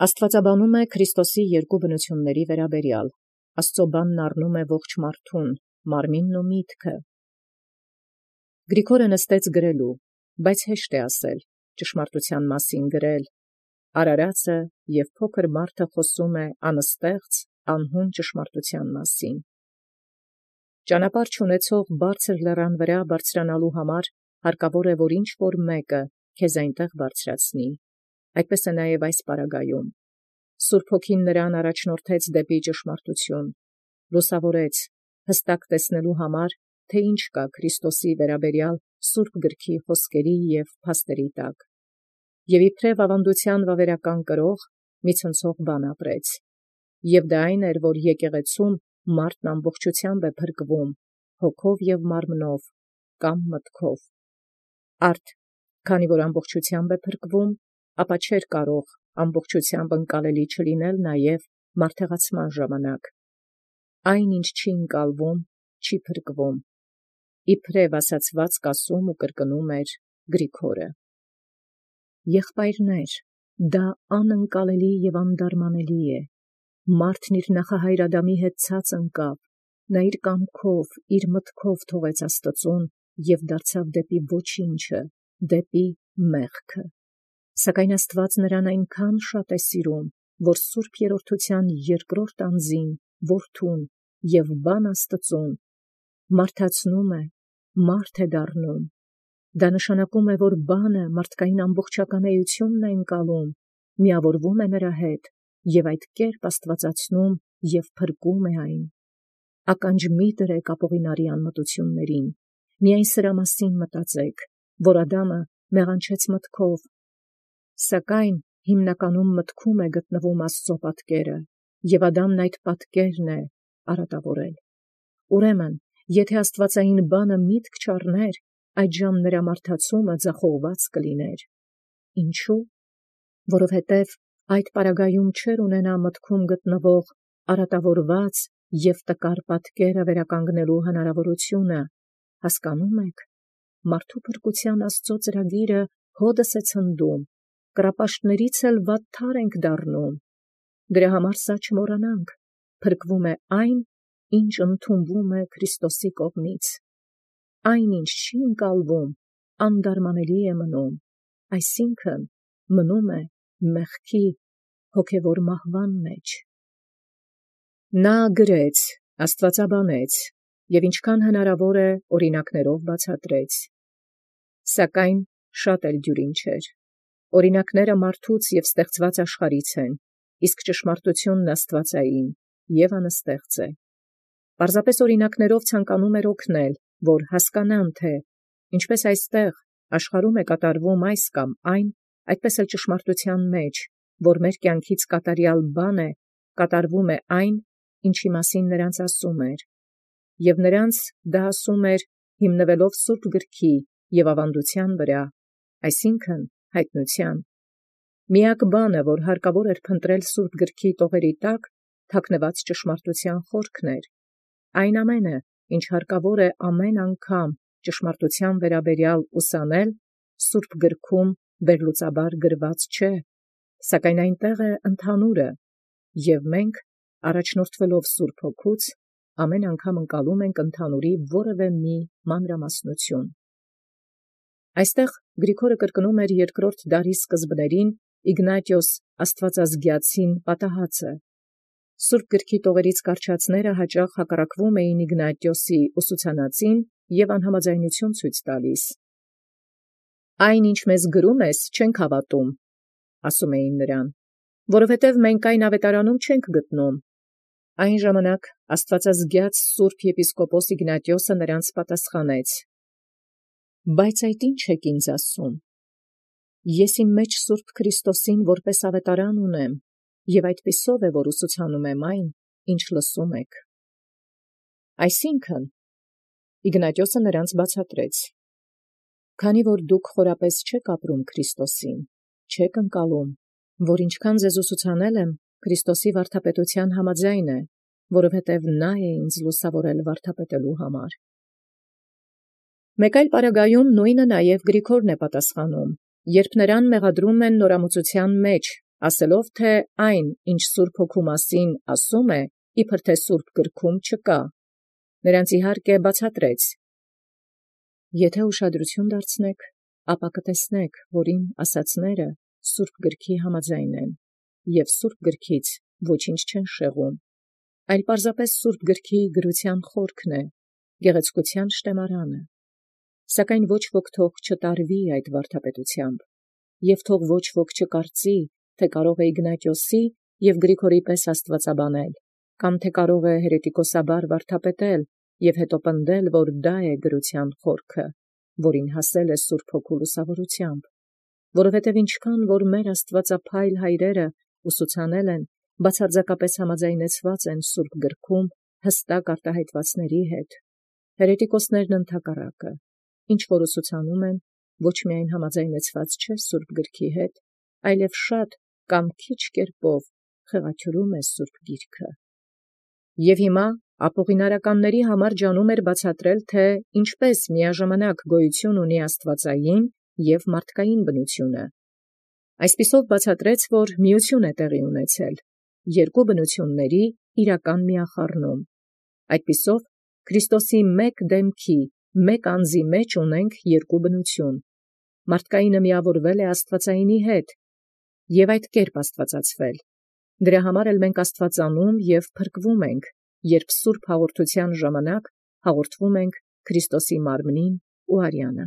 Աստուածաբանում է Քրիստոսի երկու բնութիւնացն վերաբերեալ. Աստուծոյ բանն առնում է ողջ մարդուն, մարմինն ու միտքը։ Գրիգորը նստեց գրելու, բայց հեշտ է ասել, ճշմարտութեան մասին գրել։ Արարածը և փոքր մարդը խոսում է անստեղծ, անհուն ճշմարտութեան մասին։ Ճանապարհ չունեցող բարձր լեռան վրա բարձրանալու համար հարկավոր է, որ ինչ-որ մեկը քեզ այնտեղ բարձրացնի։ Այդպես է նաև այս պարագայում։ Սուրբ Հոգին նրան առաջնորդեց դեպի ճշմարտություն, լուսավորեց, հստակ տեսնելու համար, թե ինչ կա Քրիստոսի վերաբերյալ Սուրբ գրքի խոսքերի և փաստերի տակ։ Եվ իբրև ավանդութեան վավերական կրող մի ցնցող բան ապրեց։ Եվ դա այն էր, որ եկեղեցում մարդն ամբողջութեամբ է փրկվում, հոգով և մարմնով, կամ մտքով։ Արդ, քանի որ ամբողջութեամբ է փրկվում, ապա չէր կարող ամբողջութեամբ ընկալելի չլինել նաև մարդեղացման ժամանակ։ Այն, ինչ չի ընկալվում, չի փրկվում։ Իբրև ասացվածք ասում ու կրկնում էր Գրիգորը։ Եղբայրներ, դա անընկալելի և անդարմանելի է։ Մարդն իր նախահայր Ադամի հետ ցած ընկավ, նա իր կամքով, իր մտքով թողեց Աստծուն և դարձավ դեպի ոչինչը, դեպի մեղքը։ Սակայն Աստուած նրան այնքան շատ է սիրում, որ Սուրբ Երրորդութեան երկրորդ անձին, Որդուն և Բան Աստծուն մարդացնում է, մարդ է դառնում։ Դա նշանակում է, որ բանը մարդկային ամբողջական էությունն է ընկալում, միավորվում է նրա հետ և այդ կերպ աստվածացնում և փրկում է այն։ Ականջ մի դրեք ապօղինարի անմտություններին, միայն սրա մասին մտածեք, որ Ադամը մեղանչեց մտքով, սակայն հիմնականում մտքում է գտնվում Աստծո պատկերը, և Ադամն այդ պատկերն է արատավորել։ Ուրեմն, եթե աստվածային բանը միտք չառներ, այդժամ նրա մարդացումը ձախողված կլիներ։ Ինչու՞։ Որովհետև այդ պարագայում չէր ունենա մտքում գտնվող արատավորված և տկար պատկերը վերականգնելու հնարավորությունը, հասկանո՞ւմ եք։ Մարդու փրկութեան Աստծո ծրագիրը հօդս է ցնդում, կռապաշտներից էլ վատթար ենք դառնում։ Դրա համար սա չմոռանանք, փրկվում է այն, ինչ ընդունվում է Քրիստոսի կողմից։ Այն, ինչ չի ընկալվում, անդարմանելի է մնում, այսինքն մնում է մեղքի, հոգևոր մահվան մեջ։ Նա գրեց, աստվածաբանեց և ինչքան հնարավոր է օրինակներով բացատրեց։ Սակայն շատ էլ դյուրին չէր։ Օրինակները մարդուց և ստեղծված աշխարհից են, իսկ ճշմարտությունն աստվածային և անստեղծ է։ Պարզապես օրինակներով ցանկանում էր օգնել, որ հասկանան, թե ինչպես այստեղ աշխարհում է կատարվում այս կամ այն, այդպես էլ ճշմարտութեան մեջ, որ մեր կյանքից կատարյալ բան է, կատարվում է այն, ինչի մասին նրանց ասում էր։ Եվ նրանց դա ասում էր հիմնվելով Սուրբ գրքի և ավանդութեան վրա, այսինքն հայտնութեան։ Միակ բանը, որ հարկավոր էր փնտրել Սուրբ գրքի տողերի տակ, թաքնված ճշմարտութեան խորքն էր։ Այն ամենը, ինչ հարկավոր է ամեն անգամ ճշմարտութեան վերաբերյալ ուսանել, Սուրբ գրքում վերլուծաբար գրված չէ, սակայն այնտեղ է ընդհանուրը, և մենք, առաջնորդվելով Սուրբ Հոգուց, ամեն անգամ ընկալում ենք ընդհանուրի որևէ մի մանրամասնություն։ Այստեղ Գրիգորը կրկնում էր երկրորդ դարի սկզբներին Իգնատիոս աստվածազգյացին պատահածը։ Սուրբ գրքի տողերից կարճածները հաճախ հակառակվում էին Իգնատիոսի ուսուցանածին և անհամաձայնություն ցույց տալիս։ «Այն, ինչ մեզ գրում ես, չենք հավատում», ասում էին նրան, «որովհետև մենք այն ավետարանում չենք գտնում»։ Այն ժամանակ աստվածազգյաց Սուրբ եպիսկոպոս Իգնատիոսը նրանց պատասխանեց. «Բայց այդ ի՞նչ եք ինձ ասում. ես իմ մեջ Սուրբ Քրիստոսին որպես ավետարան ունեմ, և այդպիսով է, որ ուսուցանում եմ այն, ինչ լսում եք»։ Այսինքն, Իգնատիոսը նրանց բացատրեց. «Քանի որ դուք խորապես չեք ապրում Քրիստոսին, չեք ընկալում, որ ինչքան ձեզ ուսուցանել եմ, Քրիստոսի վարդապետութեան համաձայն է, որովհետև նա է ինձ լուսավորել վարդապետելու համար»։ Մեկ այլ պարագայում նույնը նաև Գրիգորն է պատասխանում, երբ նրան մեղադրում են նորամուծութեան մեջ, ասելով թէ այն, ինչ Սուրբ Հոգու մասին ասում է, իբր թե Սուրբ գրքում չկա, նրանց իհարկե բացատրեց. Եթե ուշադրություն դարձնեք, ապա կտեսնեք, որ իմ ասացները Սուրբ գրքի համաձայն են, և Սուրբ գրքից ոչինչ չեն շեղում, այլ պարզապես Սուրբ գրքի գրության խորքն է, գեղեցկության շտեմարանը, սակայն ոչ ոք թող չտարվի այդ վարդապետությամբ, և թող ոչ ոք չկարծի, թե կարող է Իգնատիոսի և Գրիգորի պես աստվածաբանել, կամ թե կարող է հերետիկոսաբար վարդապետել և հետո պնդել, որ դա է գրության խորքը, որին հասել է Սուրբ Հոգու լուսավորությամբ, որովհետև ինչքան որ մեր աստվածափայլ հայրերը ուսուցանել են, բացարձակապես համաձայնեցված են Սուրբ գրքում հստակ արտահայտվածների հետ, հերետիկոսներն ընդհակառակը, ինչ որ ուսուցանում են, ոչ միայն համաձայնեցված չէ Սուրբ գրքի հետ, այլև շատ կամ քիչ կերպով խեղաթյուրում է Սուրբ գիրքը։ Եվ հիմա ապօղինարականների համար ջանում էր բացատրել, թե ինչպես միաժամանակ գոյություն ունի աստվածային և մարդկային բնությունը։ Այսպիսով բացատրեց, որ միություն է տեղի ունեցել երկու բնությունների իրական միախառնում։ Այդպիսով Քրիստոսի մեկ դեմքի, մեկ անձի մեջ ունենք երկու բնություն։ Մարդկայինը միավորվել է աստվածայինի հետ և այդ կերպ աստվածացվել։ Դրա համար էլ մենք աստվածանում և փրկվում ենք, երբ սուրբ հաղորդության ժամանակ հաղորդվում ենք Քրիստոսի մարմնին ու արյանը։